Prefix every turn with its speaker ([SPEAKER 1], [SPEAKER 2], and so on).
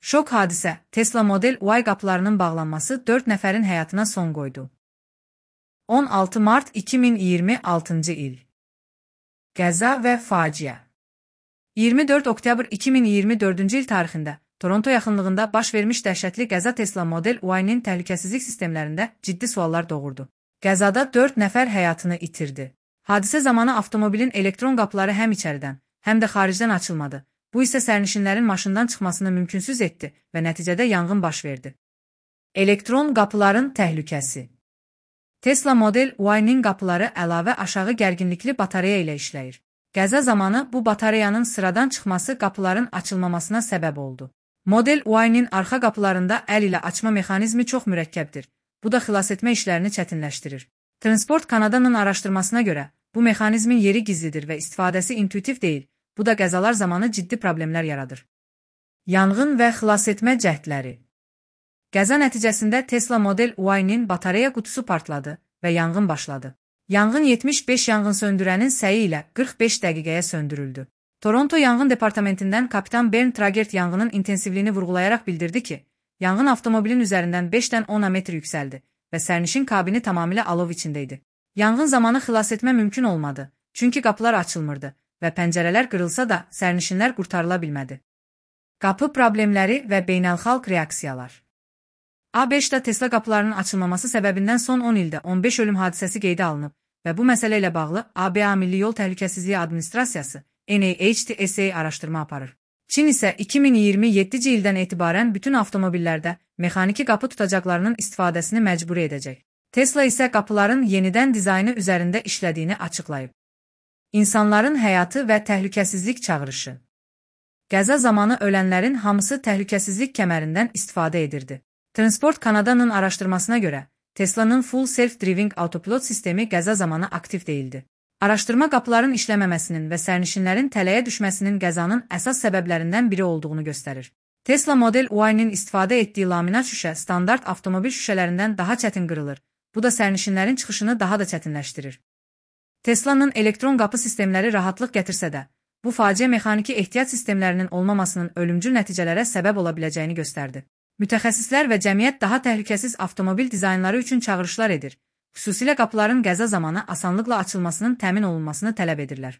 [SPEAKER 1] Şok hadisə, Tesla Model Y qapılarının bağlanması 4 nəfərin həyatına son qoydu. 16 mart 2026-cı il. Qəza və faciə. 24 oktyabr 2024-cü il tarixində Toronto yaxınlığında baş vermiş dəhşətli qəza Tesla Model Y-nin təhlükəsizlik sistemlərində ciddi suallar doğurdu. Qəzada 4 nəfər həyatını itirdi. Hadisə zamanı avtomobilin elektron qapıları həm içəridən, həm də xaricdən açılmadı. Bu isə sərnişinlərin maşından çıxmasını mümkünsüz etdi və nəticədə yanğın baş verdi. Elektron qapıların təhlükəsi. Tesla Model Y-nin qapıları əlavə aşağı gərginlikli batareya ilə işləyir. Qəza zamanı bu batareyanın sıradan çıxması qapıların açılmamasına səbəb oldu. Model Y-nin arxa qapılarında əl ilə açma mexanizmi çox mürəkkəbdir. Bu da xilasetmə işlərini çətinləşdirir. Transport Canada'nın araşdırmasına görə, bu mexanizmin yeri gizlidir və istifadəsi intuitiv deyil. Bu da qəzalar zamanı ciddi problemlər yaradır. Yanğın və xilasetmə cəhdləri. Qəza nəticəsində Tesla Model Y-nin batareya qutusu partladı və yanğın başladı. Yanğın 75 yanğınsöndürənin səyi ilə 45 dəqiqəyə söndürüldü. Toronto Yanğın Departamentindən kapitan Bernd Tragert yanğının intensivliyini vurğulayaraq bildirdi ki, yanğın avtomobilin üzərindən 5-dən 10 metr yüksəldi və sərnişin kabini tamamilə alov içində idi. Yanğın zamanı xilasetmə mümkün olmadı, çünki qapılar açılmırdı və pəncərələr qırılsa da sərnişinlər qurtarıla bilmədi. Qapı problemləri və beynəlxalq reaksiyalar. ABŞ-da Tesla qapılarının açılmaması səbəbindən son 10 ildə 15 ölüm hadisəsi qeydə alınıb və bu məsələ ilə bağlı ABA Milli Yol Təhlükəsizliyi Administrasiyası NHTSA araşdırma aparır. Çin isə 2027-ci ildən etibarən bütün avtomobillərdə mexaniki qapı tutacaqlarının istifadəsini məcburi edəcək. Tesla isə qapıların yenidən dizaynı üzərində işlədiyini açıqlayıb. İnsanların həyatı və təhlükəsizlik çağırışı. Qəza zamanı ölənlərin hamısı təhlükəsizlik kəmərindən istifadə edirdi. Transport Canada'nın araşdırmasına görə, Tesla'nın Full Self-Driving Autopilot sistemi qəza zamanı aktiv deyildi. Araşdırma qapıların işləməməsinin və sərnişinlərin tələyə düşməsinin qəzanın əsas səbəblərindən biri olduğunu göstərir. Tesla Model Y-nin istifadə etdiyi laminat şüşə standart avtomobil şüşələrindən daha çətin qırılır. Bu da sərnişinlərin çıxışını daha da çətinləşdirir. Tesla'nın elektron qapı sistemləri rahatlıq gətirsə də, bu faciə mexaniki ehtiyat sistemlərinin olmamasının ölümcül nəticələrə səbəb ola biləcəyini göstərdi. Mütəxəssislər və cəmiyyət daha təhlükəsiz avtomobil dizaynları üçün çağırışlar edir. Xüsusilə qapıların qəza zamanı asanlıqla açılmasının təmin olunmasını tələb edirlər.